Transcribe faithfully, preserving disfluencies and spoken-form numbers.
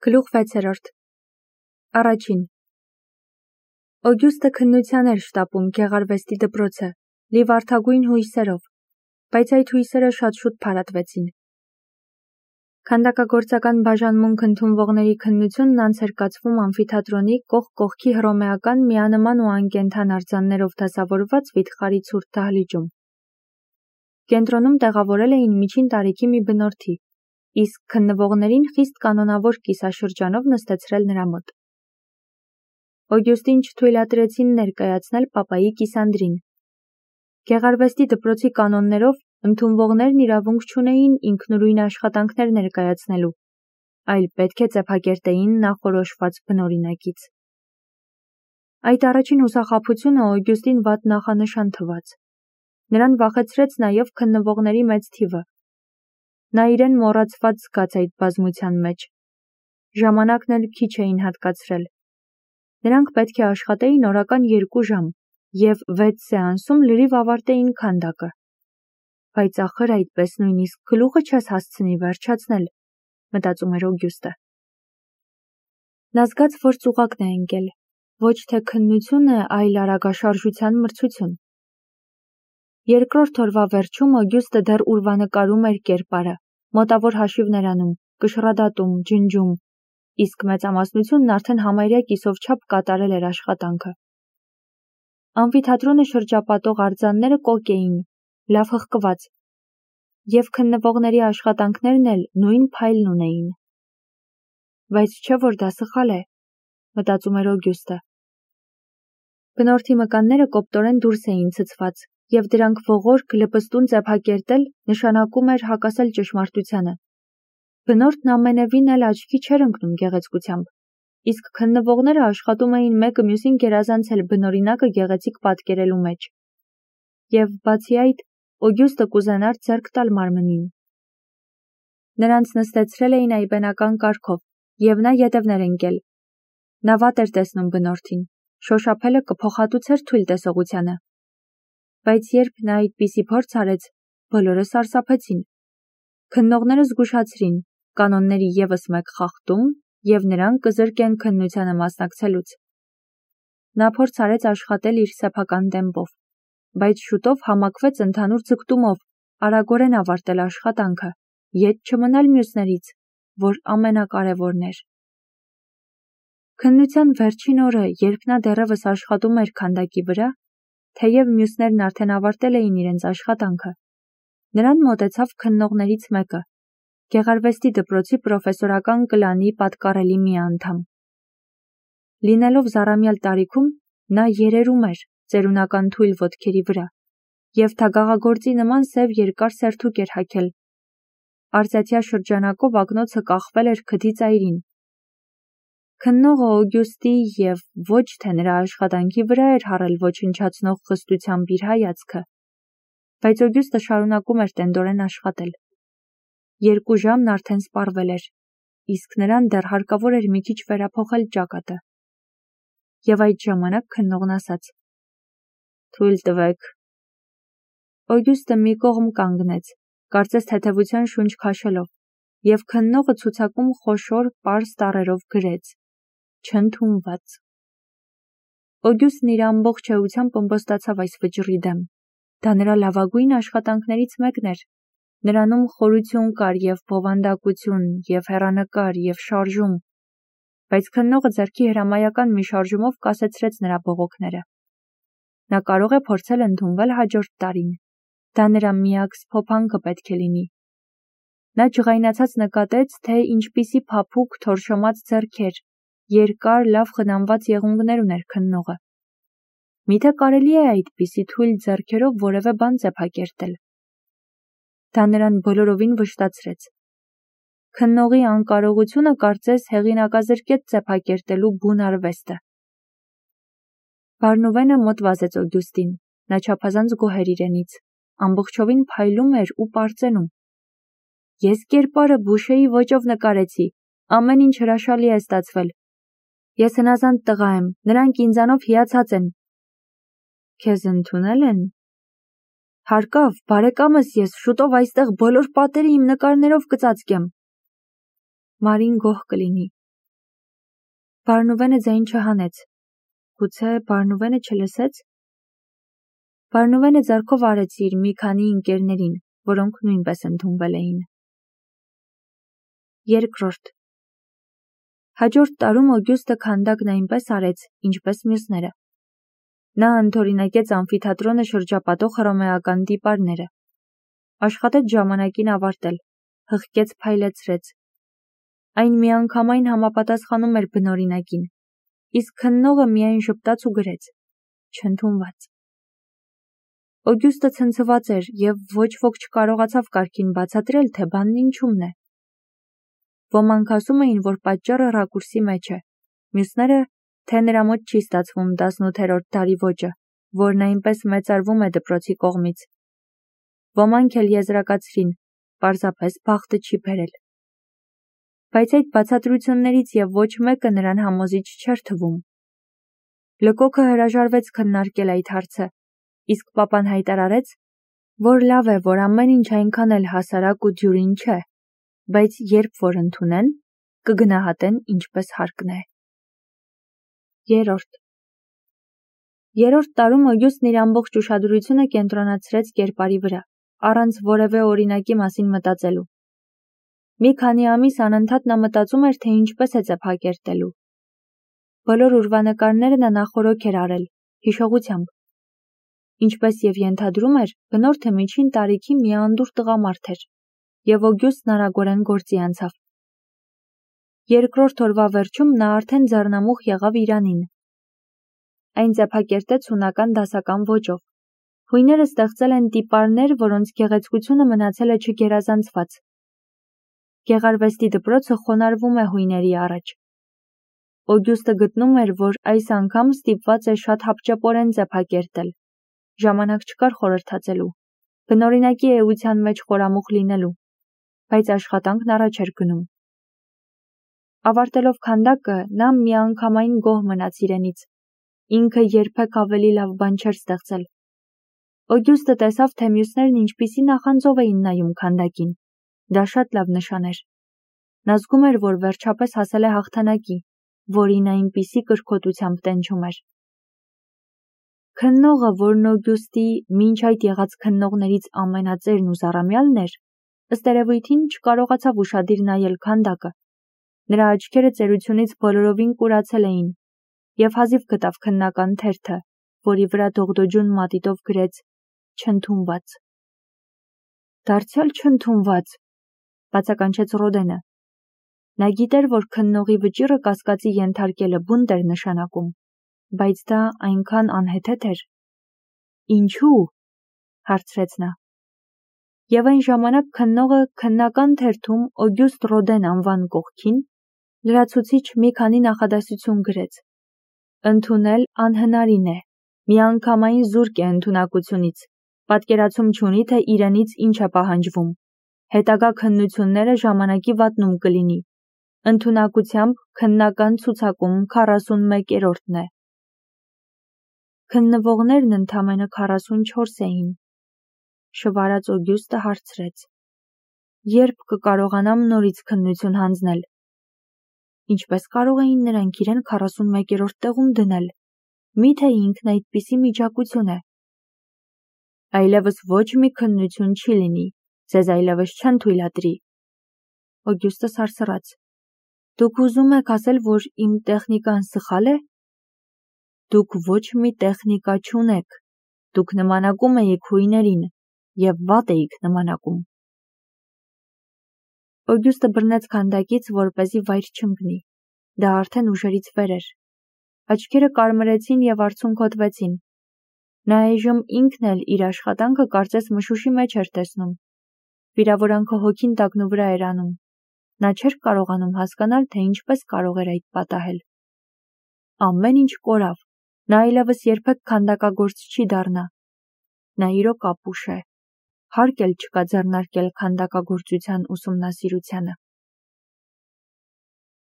Գլուխ վեցերորդ Առաջին Օգյուստը քննության էր շտապում գեղարվեստի դպրոցը, լի վարդագույն հույսերով, բայց այդ հույսերը շատ շուտ փարատվեցին։ Քանդակագործական բաժանմունք ընդունվողների քննությունն անց էր կացվում ամֆիթատրոնի կողք կողքի հռոմեական միանման ու անկենդան արձաններով դասավորված վիթխարի ցուրտ դահլիճում։ Կենտրոնում տեղավորել էին միջին տարիքի մի բնորդի, իսկ քննվողներին խիստ կանոնավոր կիսաշրջանով նստեցրել նրա մոտ։ Օգյուստին չթույլատրեցին ներկայացնել պապայի կիսանդրին։ Գեղարվեստի դպրոցի կանոններով ընդունվողներն իրավունք չունեին ինքնուրույն աշխատանքներ ներկայացնելու, այլ պետք է ծեփակերտեին նախորոշված բնօրինակից։ Այդ առաջին հուսախաբությունը Օգյուստին վատ նախանշան թվաց։ Նրան վախեցրեց նաև քննվողների մեծ թիվը։ Նա իրեն մոռացված զգաց այդ բազմության մեջ։ Ժամանակն էլ քիչ էին հատկացրել։ Նրանք պետք է աշխատեին օրական երկու ժամ և վեց սեանսում լրիվ ավարտեին քանդակը։ Բայց ախր այդպես նույնիսկ գլուխը չես հասցնի վերջացնել, մտածում էր Օգյուստը։ Նա զգաց, որ ծուղակն է ընկել, ոչ թե քննությունը, այլ արագաշարժության մրցություն։ Երկրորդ օրվա վերջում Օգյուստը դեռ ուրվանկարում էր կերպարը, մոտավոր հաշիվներ անում, կշռադատում, ջնջում, իսկ մեծամասնությունն արդեն համարյա կիսով չափ կատարել էր աշխատանքը։ Ամֆիթատրոնը շրջապատող արձանները կոկ էին, լավ հղկված, և քննվողների աշխատանքներն էլ նույն փայլն ունեին։ Բայց չէ որ դա սխալ է, մտածում էր Օգյուստը։ Բնորդի մկանները կոպտորեն դուրս էին ցցված, և դրանք ողորկ լպստուն ծեփակերտել նշանակում էր հակասել ճշմարտությանը։ Բնորդն ամենևին էլ աչքի չէր ընկնում գեղեցկությամբ, իսկ քննվողները աշխատում էին մեկը մյուսին գերազանցել բնօրինակը գեղեցիկ պատկերելու մեջ։ Եվ բացի այդ, Օգյուստը կուզենար ձեռք տալ մարմնին։ Նրանց նստեցրել էին այբենական կարգով, և նա ետևներ ընկել։ Նա վատ էր տեսնում բնորդին, շոշափելը կփոխհատուցեր թույլ տեսողությանը։ Բայց երբ նա այդպիսի փորձ արեց, բոլորը սարսափեցին։ Քննողները զգուշացրին, կանոնների ևս մեկ խախտում, և նրան կզրկեն քննությանը մասնակցելուց։ Նա փորձ արեց աշխատել իր սեփական տեմպով, բայց շուտով համակվեց ընդհանուր ձգտումով արագորեն ավարտել աշխատանքը, ետ չմնալ մյուսներից, որ ամենակարևորն էր։ Քննության վերջին օրը, երբ նա դեռևս աշխատում էր քանդակի վրա, թեև մյուսներն արդեն ավարտել էին իրենց աշխատանքը, նրան մոտեցավ քննողներից մեկը, գեղարվեստի դպրոցի պրոֆեսորական կլանի պատկառելի մի անդամ։ Լինելով զառամյալ տարիքում, նա երերում էր ծերունական թույլ ոտքերի վրա և թագաղագործի նման սև երկար սերթուկ էր հագել։ Արծաթյա շրջանակով ակնոցը կախվել էր քթի ծայրին։ Քննողը Օգյուստի և ոչ թե նրա աշխատանքի վրա էր հառել ոչնչացնող խստությամբ իր հայացքը, բայց Օգյուստը շարունակում էր տենդորեն աշխատել։ Երկու ժամն արդեն սպառվել էր, իսկ նրան դեռ հարկավոր էր մի քիչ վերափոխել ճակատը։ Եվ այդ ժամանակ քննողն ասաց. «Թույլ տվեք»։ Օգյուստը մի կողմ կանգնեց, կարծես թեթևության շունչ քաշելով, և քննողը ցուցակում խոշոր, պարզ տառերով գրեց. «Չընդունված»։ Օգյուստն իր ամբողջ էությամբ ըմբոստացավ այս վճռի դեմ։ Դա նրա լավագույն աշխատանքներից մեկն էր։ Նրանում խորություն կար և բովանդակություն, և հեռանկար, և շարժում, բայց քննողը ձեռքի հրամայական մի շարժումով կասեցրեց նրա բողոքները։ Նա կարող է փորձել ընդունվել հաջորդ տարին։ Դա նրա միակ սփոփանքը պետք է լինի։ Նա ջղայնացած նկատեց, թե ինչպիսի փափուկ, թորշոմած ձեռքեր, երկար, լավ խնամված եղունգներ ուներ քննողը։ Միթե կարելի է այդպիսի թույլ ձեռքերով որևէ բան ծեփակերտել։ Դա նրան բոլորովին վշտացրեց։ Քննողի անկարողությունը կարծես հեղինակազրկեց ծեփակերտելու բուն արվեստը։ Բարնուվենը մոտ վազեց Օգյուստին, նա չափազանց գոհ էր իրենից, ամբողջովին փայլում էր ու պարծենում։ «Ես կերպարը Բուշեի ոճով նկարեցի, ամեն ինչ հրաշալի է ստացվել։ Ես հնազանդ տղա եմ, նրանք ինձանով հիացած են»։ Քեզ ընդունե՞լ են։ Հարկավ, բարեկամս, ես շուտով այստեղ բոլոր պատերը իմ նկարներով կծածկեմ։ Մարին գոհ կլինի, Բարնուվենը ձայն չհանեց, գուցե Բարնուվենը չլսեց։ Բարնուվենը ձեռքով արեց իր մի քանի ընկերներին, որոնք նույնպես ընդունվել էին։ Երկրորդ Հաջորդ տարում Օգյուստը քանդակն այնպես արեց, ինչպես մյուսները։ Նա ընդօրինակեց ամֆիթատրոնը շրջապատող հռոմեական դիպարները։ Աշխատեց ժամանակին ավարտել, հղկեց փայլեցրեց։ Այն միանգամայն համապատասխանում էր բնօրինակին, իսկ քննողը միայն ժպտաց ու գրեց, չընդունված։ Օգյուստը ցնցված էր և ոչ ոք չկարողացավ կարգին բացատրել, թե բանն ինչումն է։ Ոմանք ասում էին, որ պատճառը ռակուրսի մեջ է, մյուսները, թե նրա մոտ չի ստացվում տասնութերորդ դարի ոճը, որն այնպես մեծարվում է դպրոցի կողմից։ Ոմանք էլ եզրակացրին, պարզապես բախտը չի բերել։ Բայց այդ բացատրություններից և ոչ մեկը նրան համոզիչ չէր թվում։ Լկոքը հրաժարվեց քննարկել այդ հարցը, իսկ պապան հայտարարեց, որ լավ է, որ ամեն ինչ այնքան էլ հասարակ ու դյուրին չէ, բայց երբ որ ընդունեն, կգնահատեն ինչպես հարկն է։ Երրորդ Երրորդ տարում Օգյուստն իր ամբողջ ուշադրությունը կենտրոնացրեց կերպարի վրա, առանց որևէ օրինակի մասին մտածելու։ Մի քանի ամիս անընդհատ նա մտածում էր, թե ինչպես է ծեփակերտելու։ Բոլոր ուրվանկարները նա նախօրոք էր արել, հիշողությամբ։ Ինչպես և ենթադրում էր, բնորդը միջին տարիքի մի անդուր տղամարդ էր, և Օգյուստն արագորեն գործի անցավ։ Երկրորդ օրվա վերջում նա արդեն ձեռնամուխ եղավ Իրանին։ Այն ծեփակերտեց հունական դասական ոճով։ Հույները ստեղծել են տիպարներ, որոնց գեղեցկությունը մնացել է չգերազանցված։ Գեղարվեստի դպրոցը խոնարհվում է հույների առաջ։ Օգյուստը գտնում էր, որ այս անգամ ստիպված է շատ հապճեպորեն ծեփակերտել։ Ժամանակ չկար խորհրդածելու, բնօրինակի էության մեջ խորամուխ լինելու, բայց աշխատանքն առաջ էր գնում։ Ավարտելով քանդակը, նա միանգամայն գոհ մնաց իրենից։ Ինքը երբեք ավելի լավ բան չէր ստեղծել։ Օգյուստը տեսավ, թե մյուսներն ինչպիսի նախանձով էին նայում քանդակին։ Դա շատ լավ նշան էր։ Նա զգում էր, որ վերջապես հասել է հաղթանակի, որին այնպիսի կրքոտությամբ տենչում էր։ Քննողը, որն Օգյուստի մինչ այդ եղած քննողներից ամենածերն ու զառամյալն էր, ըստ երևույթին չկարողացավ ուշադիր նայել քանդակը։ Նրա աչքերը ծերությունից բոլորովին կուրացել էին, և հազիվ գտավ քննական թերթը, որի վրա դողդոջուն մատիտով գրեց «Չընդունված»։ Դարձյալ չընդունված, բացականչեց Ռոդենը։ Նա գիտեր, որ քննողի վճիռը կասկածի ենթարկելը բունտ էր նշանակում, բայց դա այնքան անհեթեթ էր։ Ինչու՞, հարցրեց նա։ Եվ այն ժամանակ քննողը քննական թերթում Օգյուստ Ռոդեն անվան կողքին լրացուցիչ մի քանի նախադասություն գրեց։ Ընդունել անհնարին է, միանգամայն զուրկ է ընդունակությունից, պատկերացում չունի, թե իրենից ինչ է պահանջվում, հետագա քննությունները ժամանակի վատնում կլինի, ընդունակությամբ քննական ցուցակում քառասունմեկերորդն է։ Քննվողներն ընդամենը քառասունչորս էին։ Շվարած Օգյուստը հարցրեց. Երբ կկարողանամ նորից քննություն հանձնել։ Ինչպես կարող էին նրանք իրեն քառասունմեկերորդ տեղում դնել։ Միթե ինքն այդպիսի միջակություն է։ Այլևս ոչ մի քննություն չի լինի, ձեզ այլևս չեն թույլատրի։ Օգյուստը սարսռաց. Դուք ուզում եք ասել, որ իմ տեխնիկան սխալ է։ Դուք ոչ մի տեխնիկա չունեք, դուք նմանակում էիք հույներին և վատ էիք նմանակում։ Օգյուստը բռնեց քանդակից, որպեսզի վայր չընկնի։ Դա արդեն ուժերից վեր էր։ Աչքերը կարմրեցին և արցունքոտվեցին։ Նա այժմ ինքն էլ իր աշխատանքը կարծես մշուշի մեջ էր տեսնում։ Վիրավորանքը հոգին տակնու վրա էր անում։ Նա չէր կարողանում հասկանալ, թե ինչպես կարող էր այդ պատահել։ Ամեն ինչ կորավ։ Նա այլևս երբեք քանդակագործ չի դառնա։ Նա իրոք ապուշ է։ Հարկ էլ չկա ձեռնարկել քանդակագործության ուսումնասիրությանը։